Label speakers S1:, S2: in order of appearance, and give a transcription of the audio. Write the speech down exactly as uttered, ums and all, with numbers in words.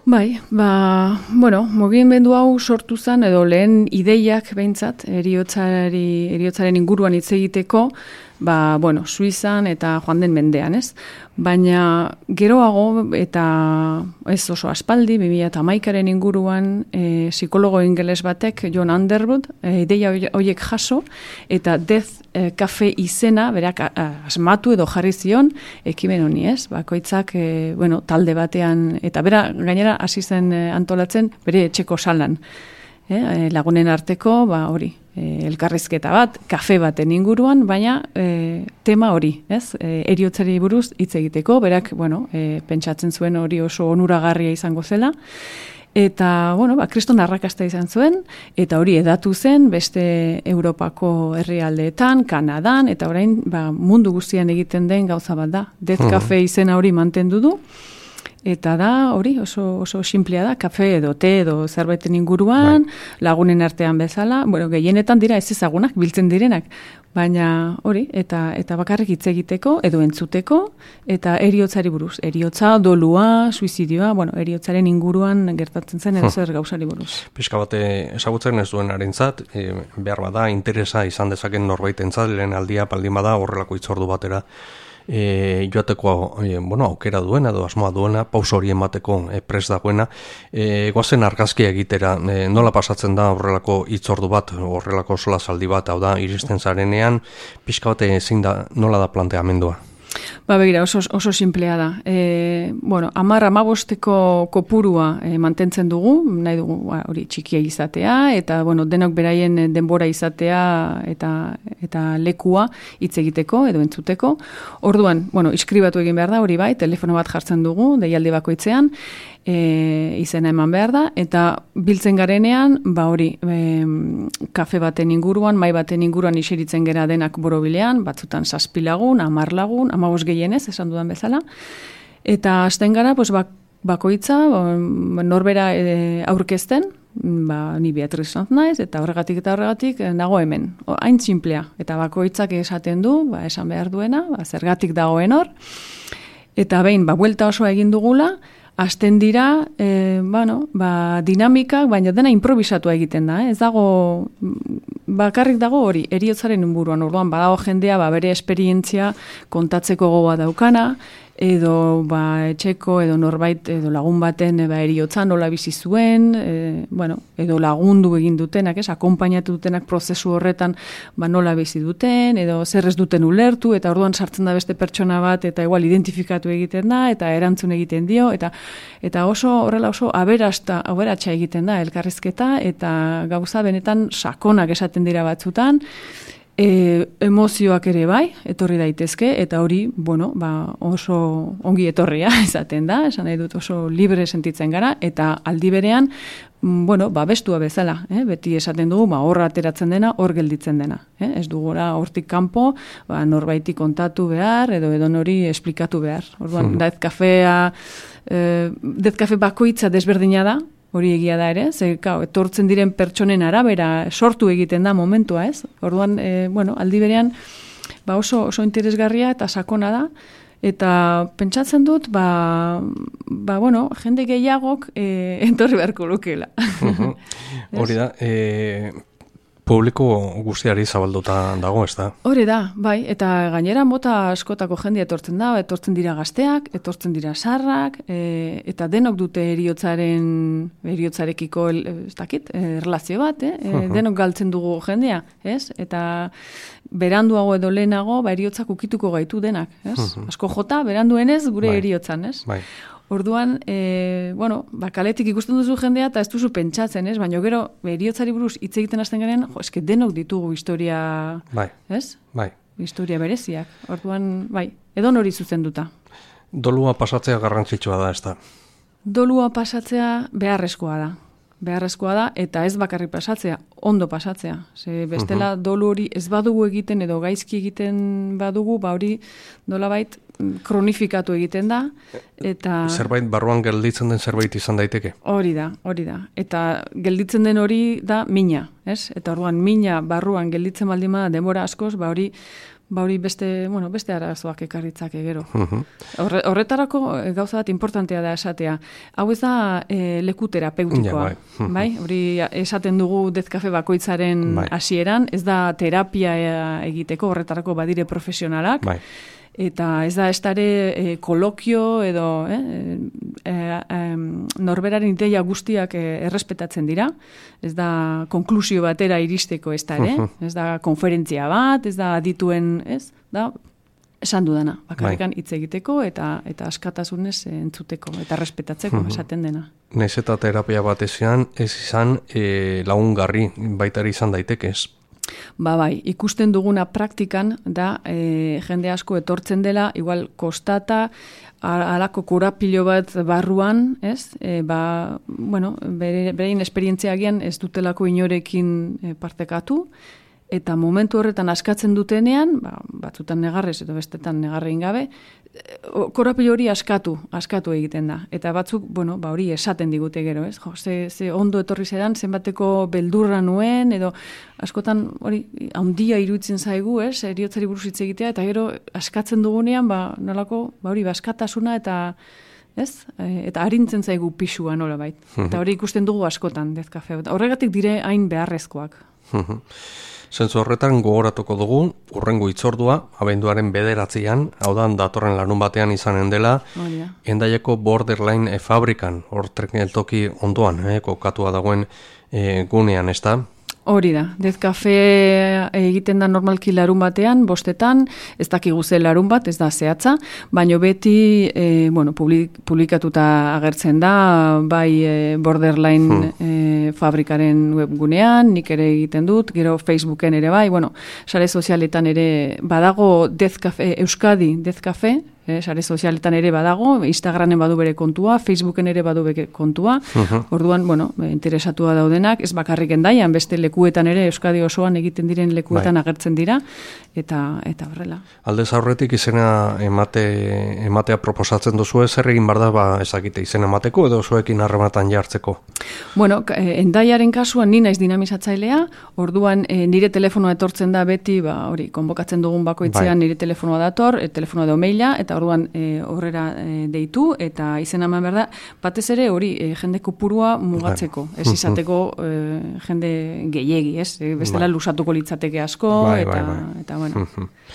S1: Bai, ba, bueno, mugimendu hau sortu zen, edo lehen ideiak behintzat, heriotzari, heriotzaren inguruan hitz egiteko, ba, bueno, Suizan eta joan den mendean, ez? Baina geroago eta ez oso aspaldi, bi mila hamaikaren inguruan, e, psikologo ingeles batek, John Underwood, e, ideia horiek jaso, eta Death e, Cafe izena, berak a, asmatu edo jarri zion, ekimen honi, ez? Bakoitzak, e, bueno, talde batean, eta bera, gainera, hasi zen e, antolatzen, bere etxeko salan. E, lagunen arteko, ba, hori, e, elkarrizketa bat, kafe baten inguruan, baina e, tema hori, ez? E, heriotzari buruz hitz egiteko, berak, bueno, e, pentsatzen zuen hori oso onuragarria izango zela, eta, bueno, ba, kriston arrakasta izan zuen, eta hori edatu zen beste Europako herrialdeetan, Kanadan, eta orain, ba, mundu guztian egiten den gauza bat da. Death Cafe izena hori mantendu du, eta da, hori, oso, oso simplea da, kafe edo te edo zerbaiten inguruan, bai. Lagunen artean bezala, bueno, gehienetan dira ez ezagunak, biltzen direnak, baina hori, eta eta bakarrik hitz egiteko, edo entzuteko, eta heriotzari buruz. Heriotza, dolua, suizidioa, bueno, heriotzaren inguruan gertatzen zen edo zer gauzari buruz.
S2: Pixka bate ezagutzen ez duen harentzat, e, behar bada, interesa izan dezaken norbaitentzat, lehen aldia baldin bada horrelako hitzordu batera, E, joateko e, bueno, aukera duena edo asmoa duena, pauso hori emateko e, prest dagoena, e, goazen argazkia egitera, e, nola pasatzen da horrelako hitzordu bat, horrelako solasaldi bat, hau da, iristen zarenean, pixka bate ezin da, nola da planteamendua?
S1: Ba, begira, oso, oso simplea da. E, bueno, amar amabosteko kopurua e, mantentzen dugu, nahi dugu ba, hori txikia izatea, eta bueno, denok beraien denbora izatea eta, eta lekua hitz egiteko edo entzuteko. Orduan, bueno, iskribatu egin behar da, hori bai, telefono bat jartzen dugu, deialdi bakoitzean, E, izena eman behar da, eta biltzen garenean, ba hori, e, kafe baten inguruan, mai baten inguruan iseritzen gera denak borobilean, batzutan zazpi lagun, hamar lagun, hamabost gehienez, esan dudan bezala, eta hasten gara, pues, bak, bakoitza, norbera e, aurkezten, ba, ni Beatriz Sanz naiz, eta horregatik eta horregatik nago hemen. O, hain simplea, eta bakoitzak esaten du, ba, esan behar duena, ba, zergatik dagoen hor, eta behin, ba, buelta osoa egin dugula, hasten dira, e, bueno, ba, dinamikak, baina dena improvisatua egiten da, eh? Ez dago, bakarrik dago hori, heriotzaren inguruan, orduan badago jendea, ba, bere esperientzia kontatzeko gogoa daukana, edo ba, etxeko, edo norbait, edo lagun baten ba, heriotza nola bizi zuen, e, bueno, edo lagundu egin dutenak, ez, akonpainatu dutenak prozesu horretan ba, nola bizi duten, edo zer ez duten ulertu, eta orduan sartzen da beste pertsona bat, eta igual identifikatu egiten da, eta erantzun egiten dio, eta eta oso horrela oso aberasta, aberatsa egiten da elkarrizketa, eta gauza benetan sakonak esaten dira batzutan, E, emozioak ere bai, etorri daitezke, eta hori, bueno, ba, oso ongi etorria izaten da, esan nahi dut oso libre sentitzen gara, eta aldi berean, bueno, ba, bestua bezala, eh? Beti esaten dugu, ba, horra ateratzen dena, hor gelditzen dena. Eh? Ez dugora hortik kanpo, ba, norbaiti kontatu behar, edo edo nori esplikatu behar. Orduan, hmm. Death Cafea, eh, Death Cafe bakoitza desberdina da, hori egia da ere, ze, kao, etortzen diren pertsonen arabera sortu egiten da momentua, ez? Orduan, e, bueno, aldi berean, ba oso, oso interesgarria eta sakona da, eta pentsatzen dut, ba, ba bueno, jende gehiagok e, entorri beharko lukela.
S2: Hori da, e, publiko guztiari zabalduta dago, ez da?
S1: Hori da, bai, eta gainera mota askotako jendea etortzen da, etortzen dira gazteak, etortzen dira sarrak, e, eta denok dute heriotzaren, heriotzarekiko, ez dakit, erlazio bat, eh? E, denok galtzen dugu jendea, ez? Eta beranduago edo lehenago, ba, heriotzak ukituko gaitu denak, ez? Asko jota, beranduenez, gure bai. Heriotzan, ez? Bai. Orduan, e, bueno, ba, kaletik ikusten duzu jendea eta ez duzu pentsatzen, ez? Baina gero, heriotzari buruz hitz egiten hasten garen, jo, eske denok ditugu historia,
S2: bai.
S1: Ez?
S2: Bai.
S1: Historia bereziak. Orduan, bai, edo nori zuzenduta.
S2: Dolua pasatzea garrantzitsua da, ez da?
S1: Dolua pasatzea beharrezkoa da. Beharrezkoa da, eta ez bakarrik pasatzea, ondo pasatzea. Ze bestela uh-huh. dolu hori ez badugu egiten edo gaizki egiten badugu, ba hori nolabait kronifikatu egiten da, eta...
S2: Zerbait barruan gelditzen den zerbait izan daiteke?
S1: Hori da, hori da. Eta gelditzen den hori da mina, ez? Eta orduan mina barruan gelditzen baldin bada denbora askoz, ba hori ba hori beste, bueno, beste arazoak ekarritzake gero. Horre, horretarako gauza bat importantea da esatea. Hau ez da e, leku terapeutikoa,
S2: ja, bai.
S1: bai? Hori esaten dugu dezkafe bakoitzaren
S2: bai.
S1: hasieran, ez da terapia egiteko, horretarako badire profesionalak,
S2: bai.
S1: Eta ez da estare e, kolokio edo eh, e, e, norberaren ideia guztiak e, errespetatzen dira, ez da konklusio batera iristeko ez da ere, ez da konferentzia bat, ez da adituen, ez, da esan dudana, bakarrikan hitz egiteko eta eta askatasunez entzuteko eta errespetatzeko esaten dena.
S2: Naiz eta terapia bat ezean, ez izan e, lagungarri baitari izan daitekez.
S1: Ba bai, ikusten duguna praktikan da e, jende asko etortzen dela, igual kostata, alako korapilo bat barruan, ez? E, ba, bueno, bere, berein esperientziagian ez dutelako inorekin e, partekatu, eta momentu horretan askatzen dutenean, ba, batzutan negarrez edo bestetan negarrein gabe, korapilo hori askatu, askatu egiten da. Eta batzuk, bueno, ba hori esaten digute gero, ez? Jo, ze, ze ondo etorri zedan, zenbateko beldurra nuen, edo askotan hori handia iruditzen zaigu, ez? Eriotzari buruz hitz egitea, eta gero askatzen dugunean, ba, nolako, ba hori, askatasuna eta, ez? E, eta arintzen zaigu pisua nola bait. Eta hori ikusten dugu askotan, dezkafe. Horregatik dire hain beharrezkoak.
S2: Zentzu horretan gogoratuko dugu, urrengo hitzordua, abenduaren bederatzean, hau da, datorren larun batean izanen dela, oh, yeah. Hendaiako Borderline e, fabrikan, hor geltoki ondoan, eh, kokatua dagoen e, gunean, ez da?
S1: Hori da, dezkafe egiten da normalki larun batean, bostetan, ez dakigu ze larun bat, ez da zehatza, baino beti e, bueno, publik, publikatuta agertzen da, bai e, Borderline hmm. e, fabrikaren webgunean, nik ere egiten dut, gero Facebooken ere bai, bueno, sare sozialetan ere badago dezkafe, Euskadi dezkafe, Eh, sare sozialetan ere badago, Instagramen badu bere kontua, Facebooken ere badu bere kontua, uh-huh. Orduan, bueno, interesatua daudenak, ez bakarrik Hendaian, beste lekuetan ere, Euskadi osoan egiten diren lekuetan bai. Agertzen dira, eta eta horrela.
S2: Aldez aurretik izena emate, ematea proposatzen duzu, zer egin bar da, ba, ezakite izena emateko, edo zuekin harrematan jartzeko?
S1: Bueno, Hendaiaren kasuan ni naiz dinamizatzailea, orduan e, nire telefonoa etortzen da beti, ba, hori, konbokatzen dugun bakoitzean bai. Nire telefonoa dator, e, telefonoa edo maila, eta orduan e, horrera e, deitu eta izena eman behar da, batez ere hori e, jende kopurua mugatzeko, ez izateko e, jende gehiegi, ez? E, bestela lusatuko litzateke asko, bai, eta, bai, bai. eta bueno.